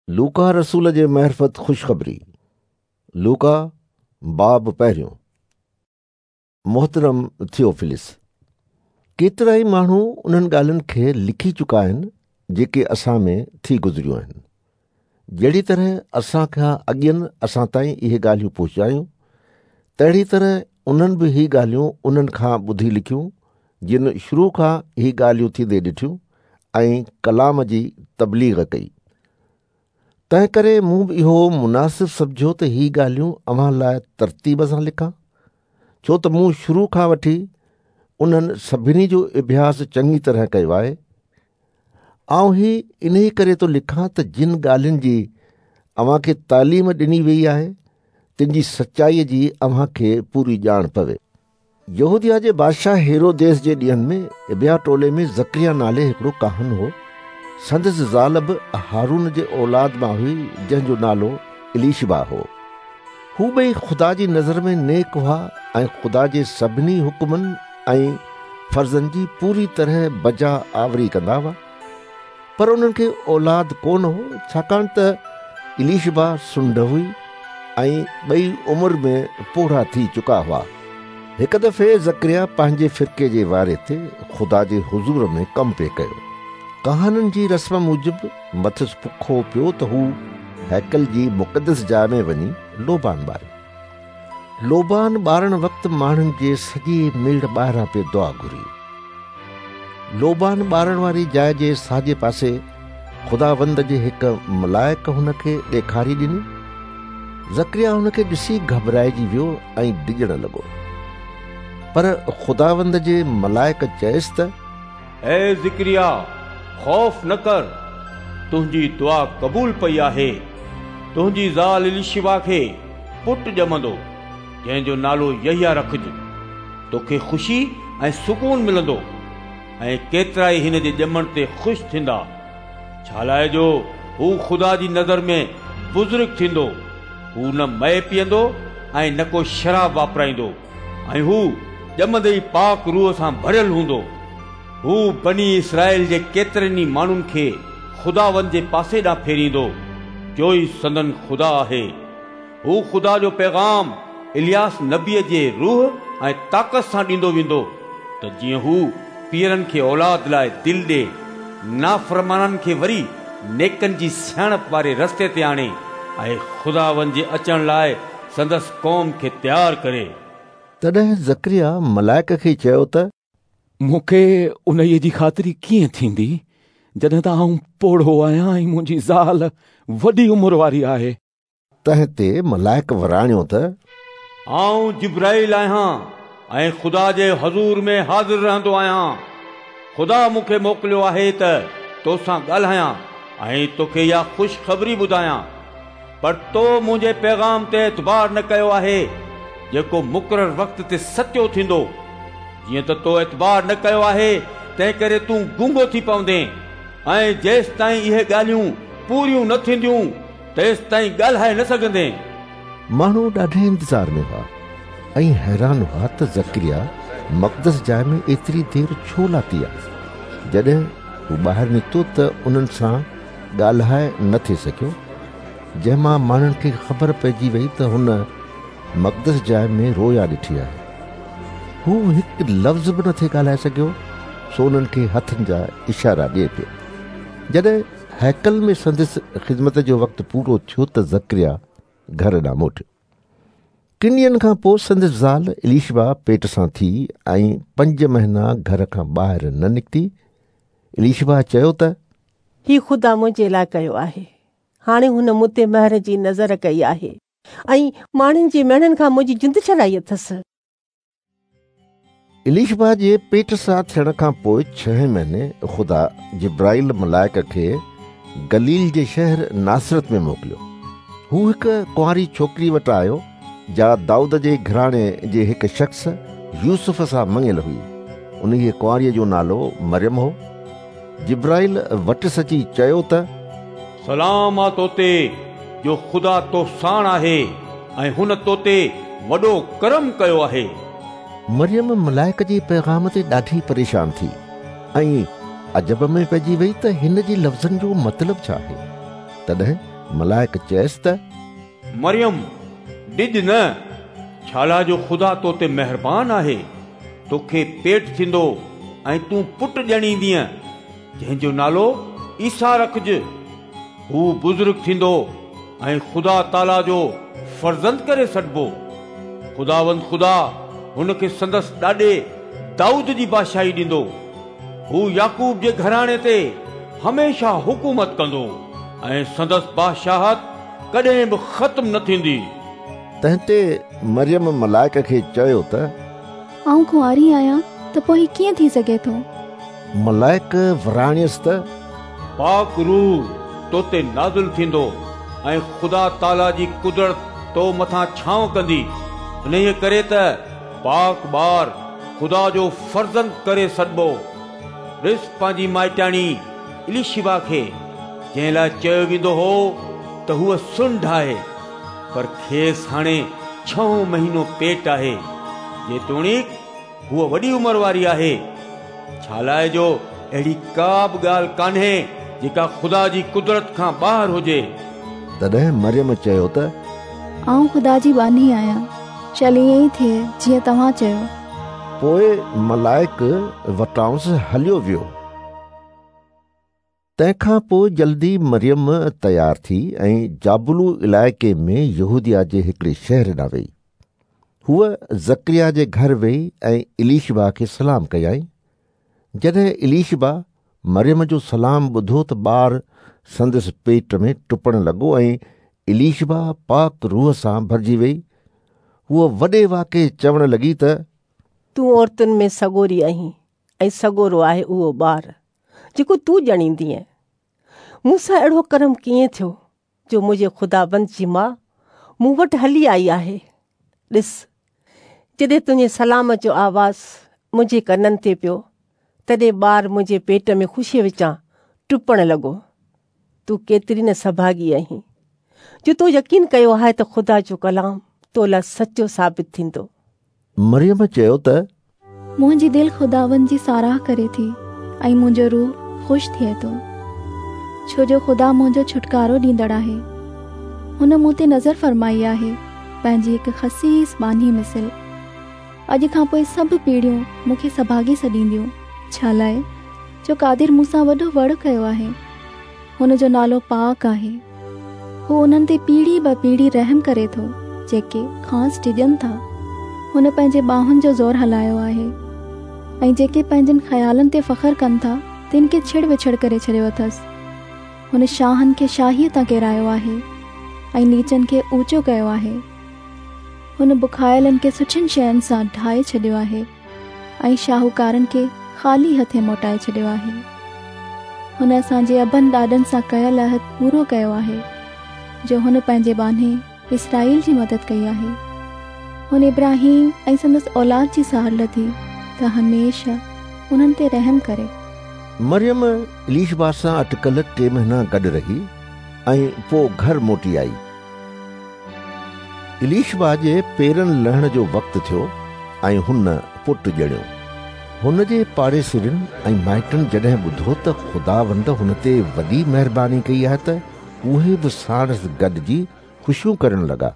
لوقا رسول جي معرفت خوشخبري، لوقا باب پهريون. محترم ٿيوفلس، ڪيترائي ماڻهو انهن ڳالهين کي لکي چڪا آهن جيڪي اسان ۾ ٿي گذريون آهن. جهڙي طرح اسان کان اڳين اسان تائين اهي ڳالهيون پهچايون، تهڙي طرح انهن به هي ڳالهيون انهن کان ٻڌي لکيون، جن شروع کان هي ڳالهيون ٿيندي ڏٺيون ۽ ڪلام جي تبليغ ڪئي. تنهنڪري مون به اهو مناسب سمجهيو ته هي ڳالهيون اوهان لاء ترتيب سان لکان، ڇو ته مون شروع کان وٺي انهن سڀني جو اڀياس چڱي طرح ڪيو آهي. آئون هي انهي ڪري ٿو لکان ته جن ڳالهين جي اوهان کي تعليم ڏني ويئي آهي، تن جي سچائيء جي اوهان کي پوري ڄاڻ پوي. يهوديه جي بادشاهه هيروديس جي ڏينهن ۾ ابياه ٽولي ۾ زڪريا نالي هڪڙو ڪاهن هو. سندس زال به هارون جي اولاد مان هئي، جنهن جو نالو اليشبع هو. هو ٻئي خدا جي نظر ۾ نيڪ هئا ۽ خدا جي سڀني حڪمن ۽ فرضن جي پوري طرح بجا آوري ڪندا هئا. پر انهن کي اولاد ڪونه هو، ڇاڪاڻ ته اليشبع سنڍ هئي ۽ ٻئي عمر ۾ پوڙها ٿي چڪا هئا. هڪ دفعي زڪريا پنهنجي فرقي جي واري تي خدا جي حضور ۾ ڪم پئي ڪيو. ڪاهنن جي رسم موجب مٿس پکو پيو ته هو هيڪل جي مقدس جاء ۾ وڃي لوبان ٻاري. لوبان ٻارڻ وقت ماڻهن جي سڄي ميڙ ٻاهران پئي دعا گهري. لوبان ٻارڻ واري جاء جي ساڄي پاسي خداوند جي هڪ ملائڪ هن کي ڏيکاري ڏني. زڪريا هن کي ڏسي گهٻرائجي ويو ۽ ڊڄڻ لڳو. پر خداوند جي ملائڪ چيس ته، اي زڪريا، خوف نه ڪر، تنهنجي دعا قبول پئي آهي. تنهنجي زال اليشبع کي پٽ ڄمندو، جنهن جو نالو يحيٰ رکج. توکي خوشي ۽ سڪون ملندو ۽ ڪيترائي هن جي ڄمڻ تي خوش ٿيندا، ڇالاء جو هو خدا جي نظر ۾ بزرگ ٿيندو. هو نه مئي پيئندو ۽ نه ڪو شراب واپرائيندو ۽ هو ڄمندي ئي پاڪ روح سان ڀريل هوندو. هو بني اسرائيل جي ڪيترن ئي ماڻهن کي خداوند جي پاسي ڏانهن ڦيريندو، جو ئي سندن خدا آهي. هو خدا جو پيغام الياس نبيء جي روح ۽ طاقت سان ڏيندو ويندو ته جيئن هو پيئرن کي اولاد لاء دل ڏئي، نافرمانن کي وري نيڪن جي سياڻپ واري رستي تي آڻي ۽ خداوند جي اچڻ لاء سندس قوم کي تيار ڪري. تڏهن زڪريا ملائڪ کي چيو ته. مون کي انهيء جي خاطري ڪيئن ٿيندي، جڏهن ته آئون پوڙهو آهيان ۽ منهنجي زال وڏي عمر واري آهي؟ تنهن تي ملائڪ وراڻيو ته. آئون جبرائيل آهيان ۽ خدا جي حضور ۾ حاضر رهندو آهيان. خدا مون کي موڪليو آهي ته تو سان ڳالهايان ۽ توکي اها خوشخبري ٻڌايان. پر تو منهنجي پيغام تي اعتبار نه ڪيو آهي، جيڪو مقرر وقت تي سچو ٿيندو. جيئن ته تو اعتبار نه ڪيو آهي، تنهنڪري تون گونگو ٿي پوندين ۽ جيستائين اهي ڳالهيون پوريون نه ٿينديون، تيستائين ڳالهائي نه سگهندين. ماڻهو ڏاڍي انتظار ۾ هئا ۽ حيران هئا ته زڪريا مقدس جاء ۾ ايتري دير ڇو لاتي آهي. جڏهن هو ٻاهر نڪتو ته انهن سان ڳالهائي نه ٿي سگهيو، جنهن مان ماڻهن کي خبر پئجي وئي ته هن مقدس جاء ۾ رويا ڏٺي آهي. هو هڪ لفظ به نه ٿي ڳالهائي سگهيو، سو انهن کي هٿن جا اشارا ڏئي پيو. جڏهن هيڪل ۾ سندس خدمت جو وقت پورو ٿيو ته زڪريا گهر ڏانهن موٽيو. ڪن ڏينهن کان پوء سندس زال اليشبع پيٽ سان ٿي ۽ 5 مهينا گهر کان ٻاهر نه نڪتي. اليشبع چيو ته، هي خدا منهنجي لاء ڪيو آهي. هاڻي هن مون تي مهر جي نظر ڪئي آهي ۽ ماڻهن جي مهڻن کان منهنجي جند ڇڏائي اٿس. اليشبع جي پيٽ سان ٿيڻ کان پوء ڇهين مهيني خدا جبرائيل ملائڪ کي گليل جي شهر ناصرت ۾ موڪليو. هو هڪ ڪنواري ڇوڪري وٽ آيو، جا دائود جي گهراڻي جي هڪ شخص يوسف سان مڱيل هئي. انهيء ڪنواريء جو نالو مريم هو. جبرائيل وٽس اچي چيو ته. سلام آ توتي جو خدا تو ساڻ آهي ۽ هن توتي وڏو ڪرم ڪيو آهي. مريم ملائڪ جي پيغام تي ڏاڍي پريشان ٿي ۽ عجب ۾ پئجي وئي ته هن جي لفظن جو مطلب ڇا آهي. تڏهن ملائڪ چيس ته مريم، ڊڄ نه، ڇالاء جو خدا تو تي مهربان آهي. توکي پيٽ ٿيندو ۽ تون پٽ ڄڻيندينء، جنهن جو نالو عيسيٰ رکج. هو بزرگ ٿيندو ۽ خدا تعاليٰ جو فرزند ڪري سڏبو. خداوند خدا هن کي سندس ڏاڏي دائود جي بادشاهي ڏيندو. هو يعقوب جي گهراڻي تي هميشه حڪومت ڪندو ۽ سندس بادشاهت ڪڏهن به ختم نه ٿيندي. تنهن تي مريم ملائڪ کي چيو ته آئون ڪنواري آهيان ته پوء هي ڪيئن ٿي سگهي ٿو؟ ملائڪ وراڻيس ته پاڪ روح تو تي نازل ٿيندو ۽ خدا تعاليٰ جي قدرت تو مٿان ڇانو ڪندي، انهيء ڪري ته پاڪ ٻار خدا جو فرزند ڪري سڏبو. ڏس پنهنجي مائٽياڻي اليشبع کي، جنهن لاء چيو ويندو هو ته هوء سنڍ آهي، پر کيس هاڻي ڇهون مهينو پيٽ آهي، جيتوڻيڪ هوء وڏي عمر واري آهي، ڇالاء جو اهڙي ڪا به ڳالهه ڪانهي جيڪا خدا جي قدرت کان ٻاهر هجي. تڏهن مريم چيو ته آئون خدا جي ٻانهي آهيان، شل ائين ئي ٿئي جيئن توهان چيو. پوء ملائڪ وٽانئس هليو ويو. تنهن کان پوء جلدي مريم تيار ٿي ۽ جابلو علائقي ۾ يهوديه جي هڪڙي شهر ڏانهن ويئي. هوء زڪريا جي گهر ويئي ۽ اليشبع کي سلام ڪيائين. جڏهن اليشبع مريم جو سلام ٻڌو ته ٻار سندس پيٽ ۾ ٽپڻ لڳو ۽ اليشبع پاڪ روح سان ڀرجي ويئي. هوء وڏي واڪي چوڻ لڳي ته تون عورتن ۾ سڳوري آهين ۽ سڳورو آهي اهو ٻار جيڪو تون ڄڻيندينء. مون سان اهڙو ڪرم ڪيئن ٿيو جو منهنجي خداوند جي ماء مون وٽ هلي آئي آهي؟ ڏس، جڏهن تنهنجي سلام جو آواز منهنجي ڪنن تي پيو، تڏهن ٻار منهنجي پيٽ ۾ خوشيء وچان ٽپڻ لڳو. تون ڪيتري نه سڀاڳي آهين، جو تو يقين ڪيو آهي ته خدا جو ڪلام تو لاء سچو ثابت ٿيندو. مريم چيو ته منهنجي دل خداوند جي ساراهه ڪري ٿي ۽ منهنجو روح خوش ٿئي ٿو، ڇو جو خدا منهنجو ڇوٽڪارو ڏيندڙ آهي. هن مون تي نظر فرمائي آهي، پنهنجي هڪ خسيس ٻانهي مثل. اڄ کان پوء سڀ پيڙهيون مون کي سڀاڳي سڏينديون، ڇالاء جو قادر مون سان وڏو وڙ ڪيو آهي. هن جو نالو پاڪ آهي. هو انهن تي پيڙهي به پيڙهي رحم ڪري ٿو، جيڪي کانئس ڊڄن ٿا. هن پنهنجي ٻانهن جو زور هلايو آهي ۽ جيڪي پنهنجن خيالن تي فخر ڪن ٿا، تن کي ڇڙ وڇڙ ڪري ڇڏيو اٿس. هن شاهن کي شاهيء تان ڪيرايو آهي ۽ نيچن کي اوچو ڪيو آهي. هن بکايلن کي سٺين شين سان ڍائي ڇڏيو آهي ۽ شاهوڪارن کي خالي هٿين موٽائي ڇڏيو آهي. هن اسان جي ابن ڏاڏن سان ڪيل عهد پورو ڪيو آهي، جو هن پنهنجي ٻانهي اسرائيل جي مدد ڪئي آهي. هن ابراهيم ۽ سندس اولاد جي سار لڌي ته هميشه انهن تي رحم ڪري. مريم اليشبع سان اٽڪل 3 مهينا گڏ رهي ۽ پوء گهر موٽي آئي. اليشبع جي پيرن لهڻ جو وقت ٿيو ۽ هن پٽ ڄڻيو. هن جي پاڙيسرين ۽ مائٽن جڏهن ٻڌو ته خداوند هن تي وڏي مهرباني ڪئي آهي ته اهي به ساڻس گڏجي خوشيون ڪرڻ لڳا.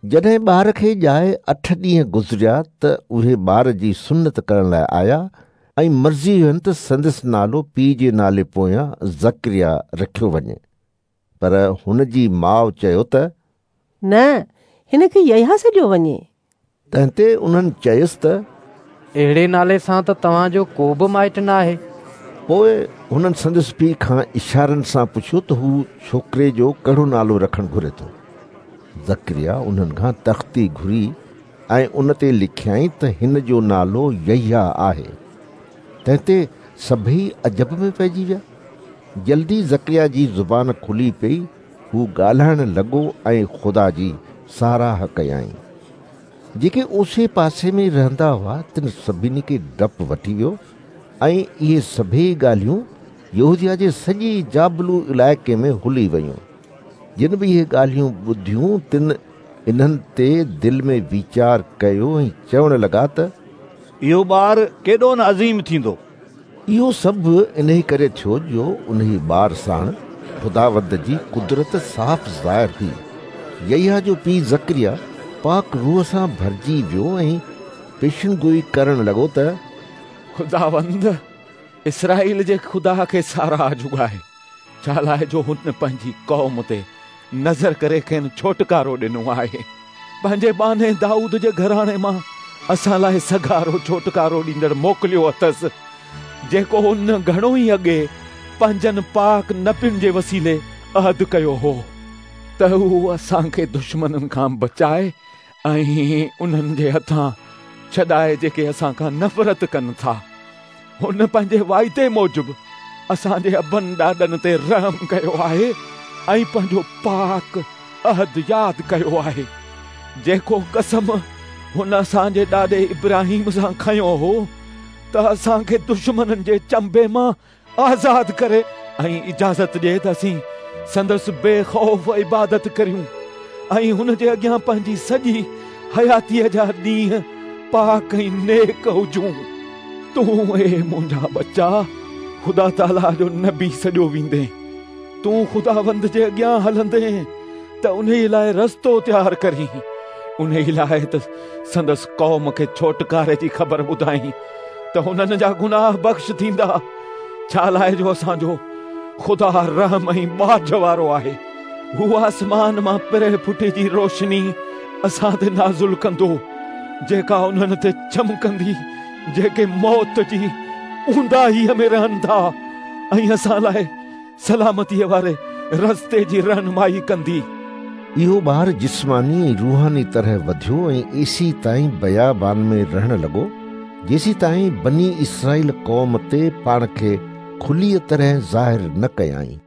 جڏهن ٻار کي ڄائي 8 ڏينهن گذريا ته اهي ٻار جي سنت ڪرڻ لاء آيا ۽ مرضي هين ته سندس نالو پيء جي نالي پويان زڪريا رکيو وڃي. پر هن جي ماء چيو ته نه، هن کي يحيٰ سڏيو وڃي. تنهن تي انهن چيس ته اهڙي نالي سان ته توهان جو ڪو به مائٽ ناهي. پوء هنن سندس پيء کان اشارن سان پڇيو ته هو ڇوڪري جو ڪهڙو نالو رکڻ گهري ٿو. زڪريا انهن کان تختي گهري ۽ ان تي لکيائين ته هن جو نالو يحيٰ آهي. تنهن تي سڀئي عجب ۾ پئجي ويا. جلدي زڪريا جي زبان کلي پئي، هو ڳالهائڻ لڳو ۽ خدا جي ساراهه ڪيائين. جيڪي اوسي پاسي ۾ رهندا هئا، تن سڀني کي ڊپ وٺي ويو ۽ اهي سڀيئي ڳالهيون يهوديه جي سڄي جابلو علائقي ۾ هلي ويون. جن به اهي ڳالهيون ٻڌيون، تن انهن تي دل ۾ ويچار ڪيو ۽ چوڻ لڳا ته اهو ٻار ڪيڏو نه عظيم ٿيندو. اهو سڀ انهي ڪري ٿيو جو انهي ٻار ساڻ خداوند جي قدرت صاف ظاهر هئي. يحيٰ جو پيء زڪريا پاڪ روح سان ڀرجي ويو ۽ پيشنگوئي ڪرڻ لڳو ته خداوند اسرائيل جي خدا کي ساراهه جوڳو آهي، ڇالاء جو هن پنهنجي قوم تي نظر ڪري کين ڇوٽڪارو ڏنو آهي. پنهنجي ٻانهي دائود جي گهراڻي مان اسان لاء سگهارو ڇوٽڪارو ڏيندڙ موڪليو اٿس، جيڪو هن گهڻو ئي اڳي پنهنجن پاڪ نبين جي وسيلي عهد ڪيو هو، ته هو اسان کي دشمنن کان بچائي ۽ انهن جي هٿان ڇڏائي جيڪي اسان کان نفرت ڪن ٿا. هن پنهنجي واعدي موجب اسان جي ابن ڏاڏن تي رحم ڪيو آهي ۽ پنهنجو پاڪ عهد ياد ڪيو آهي، جيڪو قسم هن اسان جي ڏاڏي ابراهيم سان کنيو هو ته اسان کي دشمنن جي چنبي مان آزاد ڪري ۽ اجازت ڏئي ته اسين سندس بي خوف عبادت ڪريون ۽ هن جي اڳيان پنهنجي سڄي حياتيء جا ڏينهن پاڪ ۽ نيڪ هجون. تون اي منهنجا ٻچا، خدا تعاليٰ جو نبي سڏيو ويندين. تون خداوند جي اڳيان هلندين ته انهيء لاء رستو تيار ڪرين، انهيء لاء ته سندس قوم کي ڇوٽڪاري جي خبر ٻڌائين ته هنن جا گناهه بخش ٿيندا، ڇا لاء جو اسان جو خدا رحم ۽ ٻاجهه وارو آهي. هو آسمان مان پرهه ڦٽي جي روشني اسان تي نازل ڪندو، جيڪا انهن تي چمڪندي جيڪي موت جي اونداهيء ۾ رهن ٿا ۽ اسان لاء سلامتيء واري رستي جي رهنمائي ڪندي. اهو ٻار جسماني ۽ روحاني طرح وڌيو ۽ ايسيتائين بيابان ۾ رهڻ لڳو، جيسيتائين بني اسرائيل قوم تي پاڻ کي کليء طرح ظاهر نه ڪيائين.